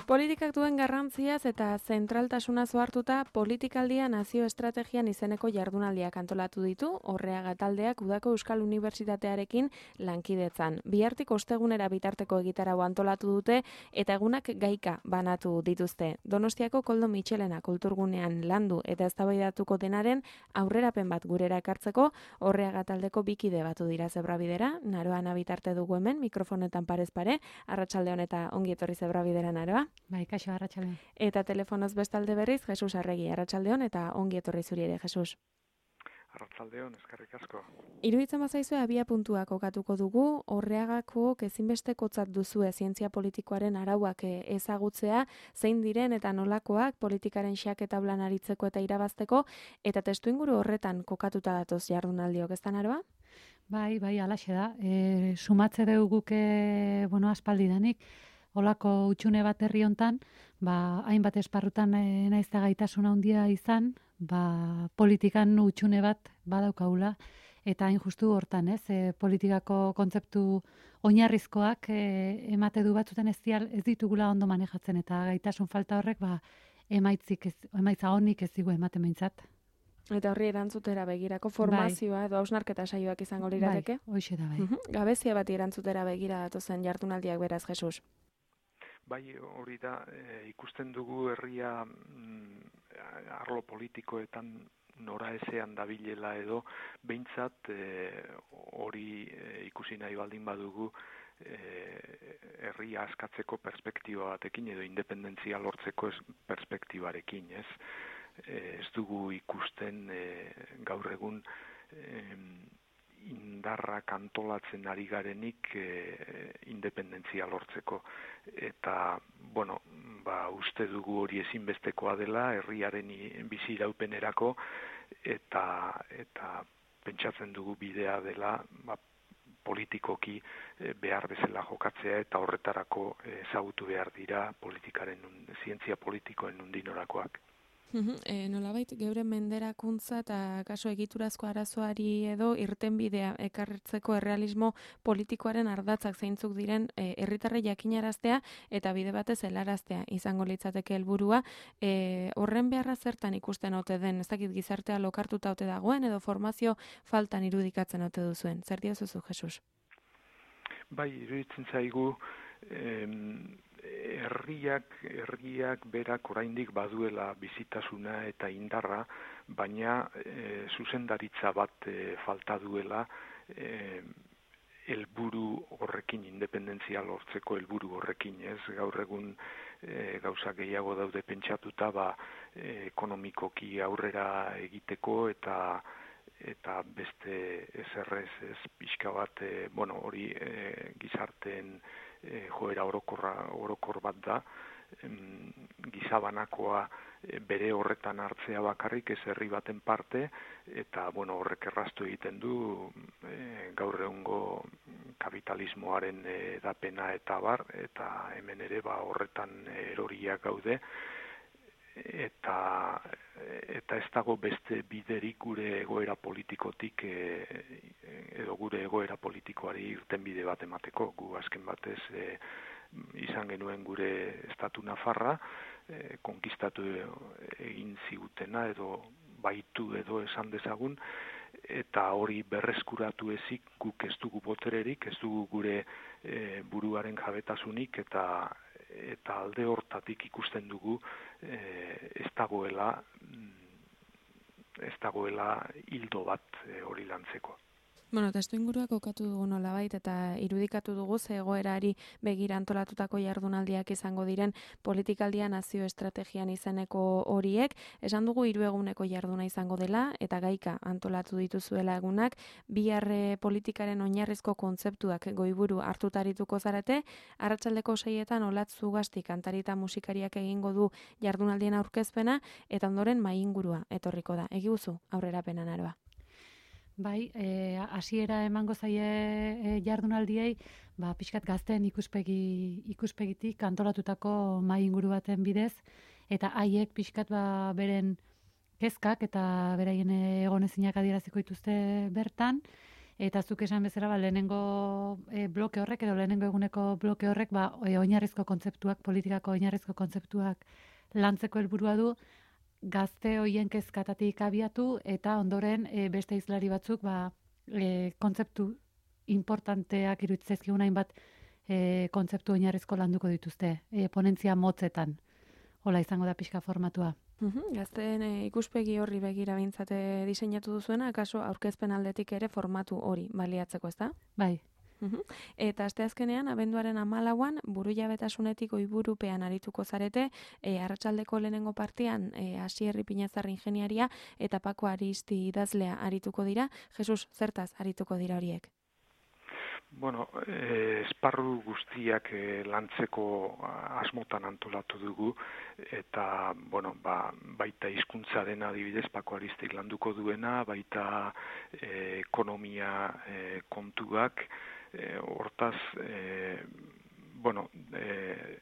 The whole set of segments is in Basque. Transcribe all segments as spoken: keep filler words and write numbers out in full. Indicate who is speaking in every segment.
Speaker 1: Politikak duen garrantziaz eta zentraltasuna hartuta politikaldia nazio estrategian izeneko jardunaldiak antolatu ditu, Orreaga taldeak udako Euskal Unibertsitatearekin lankidetzan. Bihartik ostegunera bitarteko egitarau antolatu dute eta egunak gaika banatu dituzte. Donostiako Koldo Mitxelena kulturgunean landu eta eztabaidatuko denaren aurrerapen bat gurera ekartzeko, Orreaga taldeko bikide batu dira Zebrabidera, Naroa bitarte dugu hemen, mikrofonetan parez pare, arratsalde honeta ongi etorri Zebrabidera, Naroa.
Speaker 2: Bai, kaixo, arratsalde.
Speaker 1: Eta telefonoz bestalde berriz, Jesus Arregi, arratsaldeon eta ongi etorri zuri ere, Jesus.
Speaker 3: Arratsaldeon, eskerrik asko.
Speaker 1: Iruditzen bazaizue abia puntua kokatuko dugu, Orreagako ezinbestekotzat duzue zientzia politikoaren arauak ezagutzea, zein diren eta nolakoak politikaren xaketa blan aritzeko eta irabazteko, eta testuinguru horretan kokatuta datoz jardunaldiok, ez da, Naroa?
Speaker 2: Bai, bai, alaxe da. E, sumatze dugu guke, bueno, aspaldidanik, olako utxune bat herri hontan, ba, hainbat esparrutan e, naizta gaitasuna handia izan, ba, politikan utxune bat badaukagula, eta hain justu hortan, ez, e, politikako kontzeptu oinarrizkoak e, emate du batzutan ez, dial, ez ditugula ondo manejatzen, eta gaitasun falta horrek, ba, emaitzik ez, emaitza honik ez digu ematen behintzat.
Speaker 1: Eta horri erantzutera begirako formazioa bai. Edo hausnarketa saioak izango lirateke?
Speaker 2: Bai, hoixe da, bai.
Speaker 1: Uh-huh. Gabezia bat erantzutera begira datozen jardunaldiak beraz, Jesus.
Speaker 3: Bai, hori da, e, ikusten dugu herria mm, arlo politikoetan nora ezean dabilela edo, behintzat e, hori e, ikusi nahi baldin badugu e, herria askatzeko perspektiba batekin edo independentzia lortzeko perspektibarekin, ez? E, ez dugu ikusten e, gaur egun e, indarrak antolatzen ari garenik e, independentzia lortzeko. Eta, bueno, ba, uste dugu hori ezinbestekoa dela, herriaren bizi iraupenerako, eta, eta pentsatzen dugu bidea dela, ba, politikoki e, behar bezala jokatzea, eta horretarako ezagutu behar dira politikaren, zientzia politikoen undinorakoak.
Speaker 1: Uhum, e, nolabait geure menderakuntza eta kaso egiturazko arazoari edo irtenbidea ekartzeko errealismo politikoaren ardatzak zeintzuk diren herritarrei e, jakinaraztea eta bide batez helaraztea izango litzateke helburua. E, horren beharra zertan ikusten ote den, ez dakit gizartea lokartuta ote dagoen edo formazio faltan irudikatzen ote duzuen. Zer diozuzu, Jesus?
Speaker 3: Bai, iruditzen zaigu em, herriak, herriak berak oraindik baduela bizitasuna eta indarra, baina e, zuzendaritza bat e, falta duela e, helburu horrekin, independentzia lortzeko helburu horrekin, ez? Gaur egun e, gauza gehiago daude pentsatuta, ba, e, ekonomikoki aurrera egiteko eta eta beste ezerrez ez pixka bat, e, bueno, hori e, gizarteen e, joera orokorra, orokor bat da, em, gizabanakoa e, bere horretan hartzea bakarrik ez herri baten parte, eta bueno, horrek erraztu egiten du e, gaur egungo kapitalismoaren edapena eta bar, eta hemen ere ba, horretan eroriak gaude, eta eta ez dago beste biderik gure egoera politikotik e, edo gure egoera politikoari irtenbide bat emateko. Gu azken batez e, izan genuen gure estatu nafarra, e, konkistatu egin zigutena edo baitu edo esan dezagun, eta hori berreskuratu ezik guk ez dugu botererik, ez dugu gure e, buruaren jabetasunik, eta eta alde hortatik ikusten dugu e, ez dagoela ez dagoela hildo bat e, hori lantzeko.
Speaker 1: Bueno, testu inguruak kokatu dugu nolabait eta irudikatu dugu ze egoerari begira antolatutako jardunaldiak izango diren politikaldia nazio estrategian izeneko horiek. Esan dugu hiru eguneko jarduna izango dela eta gaika antolatu dituzuela egunak, bihar politikaren oinarrizko kontzeptuak goiburu hartutarituko zarete, arratsaldeko seietan Olatz Zugasti kantari eta musikariak egingo du jardunaldien aurkezpena eta ondoren mahai ingurua etorriko da. Egiguzu aurrerapena, Naroa.
Speaker 2: Bai, hasiera e, emango zaie e, jardunaldiei, ba, pixkat gazten ikuspegi, ikuspegitik antolatutako mahai inguru baten bidez, eta haiek pixkat ba, beren kezkak eta beraien egonezinak adieraziko dituzte bertan, Eta zuk esan bezala, ba, lehenengo e, bloke horrek, edo lehenengo eguneko bloke horrek, ba, e, oinarrizko kontzeptuak, politikako oinarrizko kontzeptuak lantzeko helburua du, gazte hoien kezkatatik abiatu, eta ondoren e, beste hizlari batzuk, ba, e, kontzeptu importanteak iruditzezkigun hainbat e, kontzeptu oinarrizko landuko dituzte, e, ponentzia motzetan. Hola izango da pixka formatua.
Speaker 1: Uhum, gazteen e, ikuspegi horri begira bintzate diseinatu duzuena, akaso aurkezpen aldetik ere formatu hori baliatzeko, ezta?
Speaker 2: Bai.
Speaker 1: Uhum. Eta asteazkenean, abenduaren hamalauan, burujabetasunetik oiburupean arituko zarete, e, arratsaldeko lehenengo partian, e, Asierri Pinazar ingeniaria eta Pako Aristi idazlea arituko dira. Jesus, zertaz arituko dira horiek?
Speaker 3: Bueno, eh, esparru guztiak eh, lantzeko asmotan antolatu dugu, eta, bueno, ba, baita hizkuntzaren adibidez Pako Aristik landuko duena, baita eh, ekonomia eh, kontuak, eh, hortaz, eh, bueno, eh,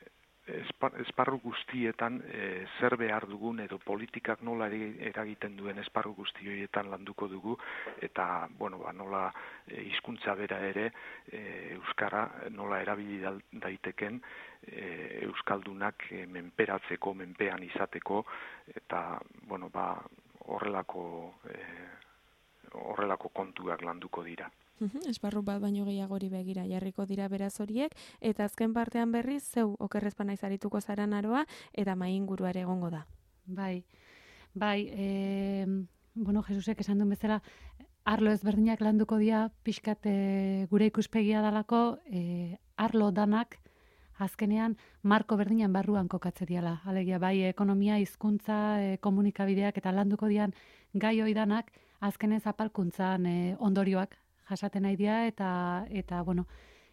Speaker 3: esparru guztietan e, zer behar dugun edo politikak nola eragiten duen esparru guzti horietan landuko dugu, eta bueno, ba, nola hizkuntza bera ere e, euskara nola erabili daiteken e, euskaldunak e, menperatzeko, menpean izateko, eta bueno, ba, horrelako e, horrelako kontuak landuko dira.
Speaker 1: Esparru bat baino gehiagori begira jarriko dira beraz horiek, eta azken partean berriz zeu okerrezpa naiz arituko zara naroa, eta mai ingurua ere egongo da.
Speaker 2: Bai, bai, e, bueno, Jesusek esan duen bezala, arlo ezberdinak landuko dira, pixkat e, gure ikuspegia dalako, e, arlo danak, azkenean, marko berdinan barruan kokatze diala. Alegia, bai, ekonomia, hizkuntza, e, komunikabideak, eta landuko dian gai oidanak, azkenen zapalkuntzan e, ondorioak, jasaten nahi dira, eta, eta, bueno,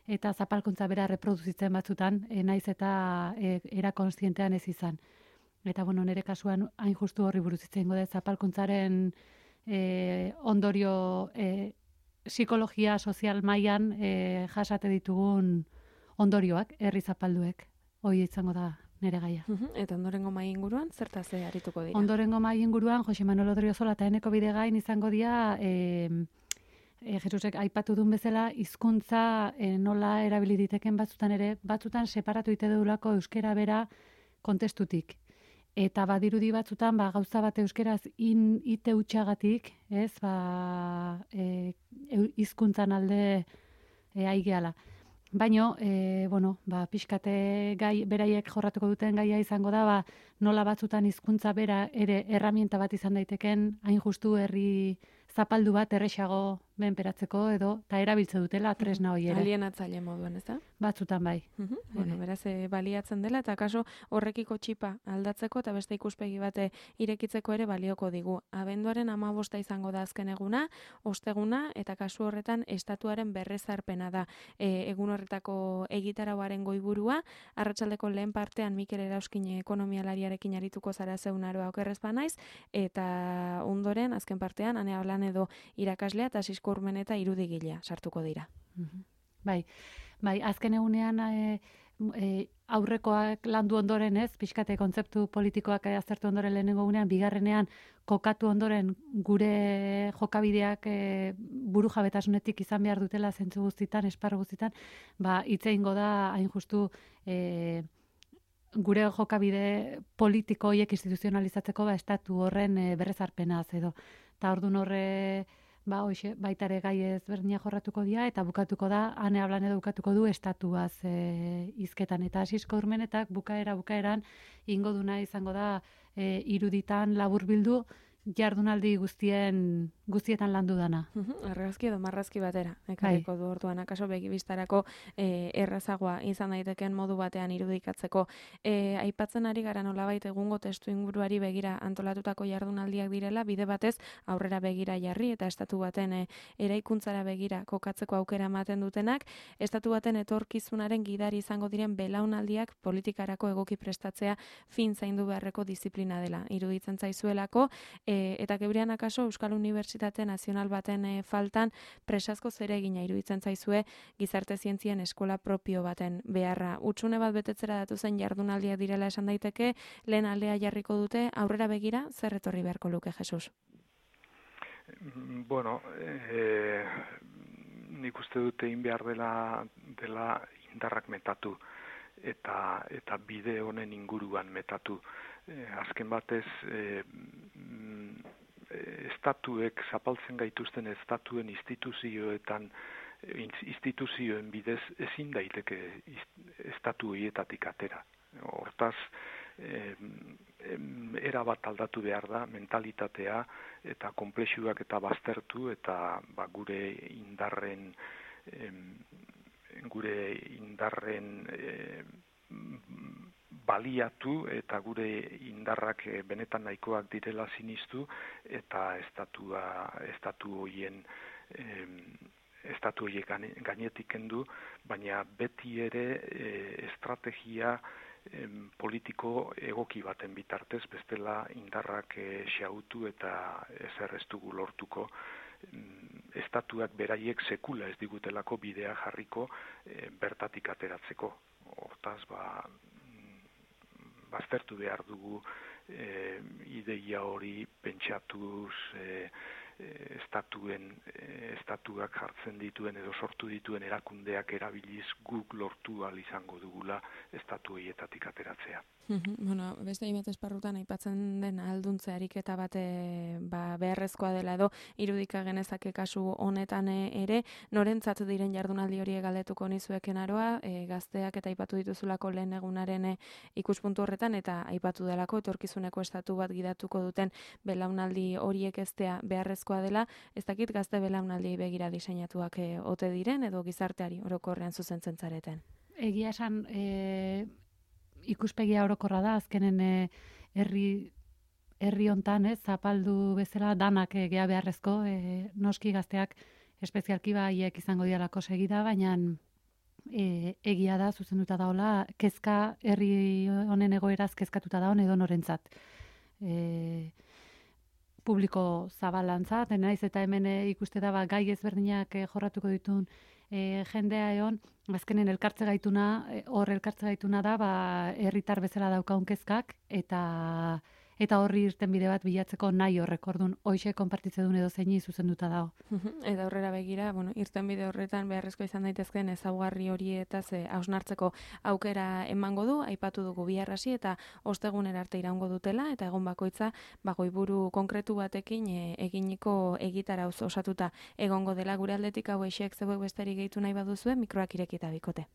Speaker 2: eta zapalkuntza bera reproduzitzen batzutan, e, naiz eta e, era konstientean ez izan. Eta, bueno, nire kasuan hain justu horri buruz itzen gode, zapalkuntzaren e, ondorio e, psikologia sozial mailan e, jasate ditugun ondorioak, herri zapalduek, hoi izango da nire gaia.
Speaker 1: Eta ondorengo mai inguruan, zertaz arituko dira?
Speaker 2: Ondorengo mai inguruan, Jose Manuel Odriozola eta Eneko Bidegain izango dira, e, E, Jesusek aipatu duen bezala, hizkuntza e, nola erabili diteken batzutan ere, batzutan separatu ite dudulako euskera bera kontestutik. Eta badirudi batzutan, ba, gauza bat euskeraz in, ite utxagatik, ez, ba, e, hizkuntzan alde e, aigeala. Baino, e, bueno, ba, pixkate gai, beraiek jorratuko duten gaia izango da, ba, nola batzutan hizkuntza bera ere erramienta bat izan daiteken, hain justu herri zapaldu bat erresago menperatzeko edo, eta erabiltze dutela tresna hori ere.
Speaker 1: Alienatzaile moduan, ez da?
Speaker 2: Batzutan bai.
Speaker 1: Uh-huh. Bueno, beraz, e, baliatzen dela, eta kaso horrekiko txipa aldatzeko, eta beste ikuspegi bate irekitzeko ere balioko digu. Abenduaren hamabosta izango da azken eguna, osteguna, eta kasu horretan estatuaren berrezarpena da. E, egun horretako egitarauaren goiburua, arratsaldeko lehen partean Mikel Erauskin ekonomialariarekin arituko zara zeun aroa okerrezpa naiz, eta ondoren, azken partean, Ane Ablan edo irakaslea eta Sisko Urmeneta irudigilea sartuko dira.
Speaker 2: Uh-huh. Bai, bai, azken egunean e, e, aurrekoak landu ondoren ez, pixkate kontzeptu politikoak aztertu ondoren lehenengo egunean, bigarrenean kokatu ondoren gure jokabideak e, buru jabetasunetik izan behar dutela zentzu guztitan, esparru guztitan, ba, itzeingo da hain justu e, gure jokabide politiko horiek instituzionalizatzeko ba, estatu horren e, berrezarpenaz edo. Eta orduan horre, ba, hoxe, baitare gai ezberdina jorratuko dira, eta bukatuko da, Ane Ablan edo bukatuko du estatuaz e, izketan. Eta Sisko Urmenetak bukaera bukaeran ingo duna izango da e, iruditan laburbildu jardunaldi guztien guztietan landu dana.
Speaker 1: Uh-huh. Argazki edo marrazki batera, ekarriko du orduan, akaso begibistarako e, errazagoa izan daiteken modu batean irudikatzeko. E, aipatzen ari gara nolabait egungo testu inguruari begira antolatutako jardunaldiak direla, bide batez aurrera begira jarri eta estatu baten e, eraikuntzara begira kokatzeko aukera ematen dutenak, estatu baten etorkizunaren gidari izango diren belaunaldiak politikarako egoki prestatzea fin zaindu beharreko disiplina dela. Iruditzen zaizuelako, e, eta gebrean akaso Euskal Unibertsitate Nazional baten e, faltan presazko zeregina iruditzen zaizue gizarte zientzien eskola propio baten beharra. Utsune bat betetzera datu zen jardunaldiak direla esan daiteke, lehen aldea jarriko dute, aurrera begira, zer etorri beharko luke, Jesus?
Speaker 3: Bueno, eh, nik uste dut egin behar dela, dela indarrak metatu eta eta bide honen inguruan metatu. E, azken batez, e, estatuek zapaltzen gaituzten estatuen instituzioetan instituzioen bidez ezin daiteke estatu horietatik atera. Hortaz, eh, era bat aldatu behar da, mentalitatea eta konplexuak eta baztertu eta ba, gure indarren eh, gure indarren eh, baliatu eta gure indarrak benetan nahikoak direla sinistu eta estatua estatu horien eh, estatu horiek gainetik kendu, baina beti ere e, estrategia e, politiko egoki baten bitartez, bestela indarrak e, xautu eta ezer ez dugu lortuko, estatuak beraiek sekula ez digutelako bidea jarriko e, bertatik ateratzeko. Hortaz, ba, baztertu behar dugu e, ideia hori pentsatuz, e, estatuen estatuak jartzen dituen edo sortu dituen erakundeak erabiliz guk lortu ahal izango dugula estatu horietatik ateratzea.
Speaker 1: Bueno, beste hainbat esparrutan aipatzen den ahalduntzea ariketa bat ba, beharrezkoa dela edo irudika genezake kasu honetan ere, norentzat diren jardunaldi horiek galdetuko nizueken aroa, e, gazteak eta aipatu dituzulako lehen egunaren e, ikuspuntu horretan eta aipatu delako etorkizuneko estatu bat gidatuko duten belaunaldi horiek eztea beharrezkoa dela, ez dakit gazte belaunaldi begira diseinatuak e, ote diren edo gizarteari orokorrean zuzentzen zareten.
Speaker 2: Egia esan, e... ikuspegia orokorra da, azkenen eh, herri herri hontan, ez, zapaldu bezala danak eh, gea beharrezko, eh, noski gazteak espezialki baiek izango dialako segida, baina eh, egia da, zuzenduta daola, kezka herri honen egoeraz kezkatuta daon edo norentzat. Eh, publiko zabalantzat, naiz eta hemen eh, ikuste da ba, gai ezberdinak eh, jorratuko ditun E, jendea egon, azkenen elkartze gaituna, hor elkartze gaituna da, ba, herritar bezala daukaun kezkak, eta eta horri irten bide bat bilatzeko nahi horrek, orduan, hoxe konpartitze duen edo zeini zuzenduta dago.
Speaker 1: Eta aurrera begira, bueno, irten bide horretan beharrezko izan daitezkeen ezaugarri horietaz hausnartzeko aukera emango du, aipatu dugu biharrasi eta ostegunera arte iraungo dutela, eta egon bakoitza, ba, goiburu konkretu batekin e, eginiko egitara osatuta egongo dela gure aldetik hau eixek zeuek besterik gehitu nahi baduzue, mikroak irekita bikote.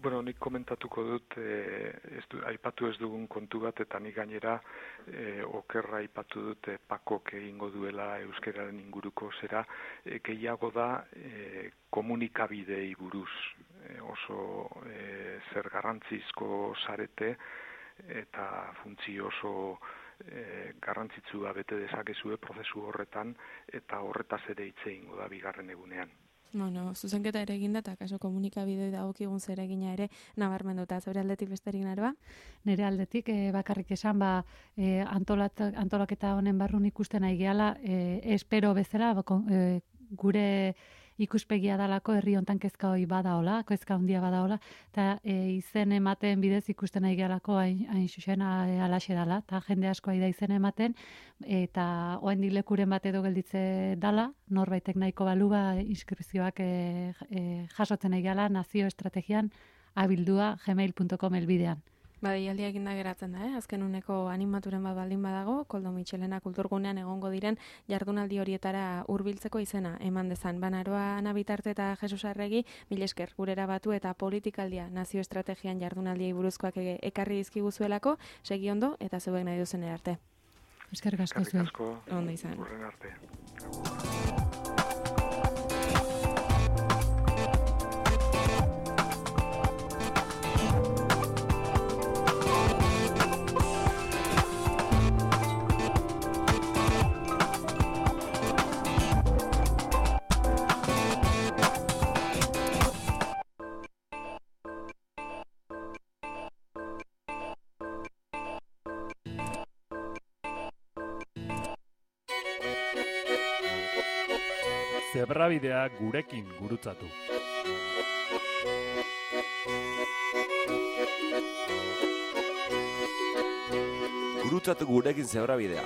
Speaker 3: Bueno, nik komentatuko dut, eh, ez du, aipatu ez dugun kontu bat, eta nik gainera eh, okerra aipatu dut eh, pakok egingo duela euskararen inguruko zera, eh, gehiago da eh, komunikabidei buruz, eh, oso eh, zer garrantzizko zarete, eta funtzio oso eh, garrantzitsua bete dezakezue prozesu horretan, eta horretaz ere hitz egingo da bigarren egunean.
Speaker 1: Bueno, zuzenketa ere eginda eta kaso komunikabidei dagokigun zer egina ere nabarmenduta. Zure aldetik besterik naroa?
Speaker 2: Nire aldetik e, bakarrik esan ba e, antolat, antolaketa honen barrun ikusten nahi gehala, e, espero bezala ba, e, gure ikuspegia dalako herri hontan kezka hori badaola, kezka handia badaola, eta e, izen ematen bidez ikusten nahi gehalako hain, hain xuxen alaxe dala, eta jende asko da izen ematen, eta oraindik lekuren bat edo gelditze dala, norbaitek nahiko balu ba inskripzioak e, e, jasotzen nahi gehala nazio estrategian abildua gmail punto com elbidean.
Speaker 1: Badialdia eginda geratzen da, eh? Azken uneko animaturen bat baldin badago, Koldo Mitxelena kulturgunean egongo diren jardunaldi horietara hurbiltzeko izena eman dezan. Banaroa Ana Bitarte eta Jesus Arregi, mil esker gurera batu eta politikaldia nazio estrategian jardunaldiei buruzkoak e ekarri dizkiguzuelako, segi ondo eta zeuek nahi duzen arte.
Speaker 2: Eskerrik asko zuen.
Speaker 1: Ondo izan.
Speaker 3: Urren arte.
Speaker 4: Zebrabidea gurekin gurutzatu.
Speaker 5: Gurutzatu gurekin zebrabidea.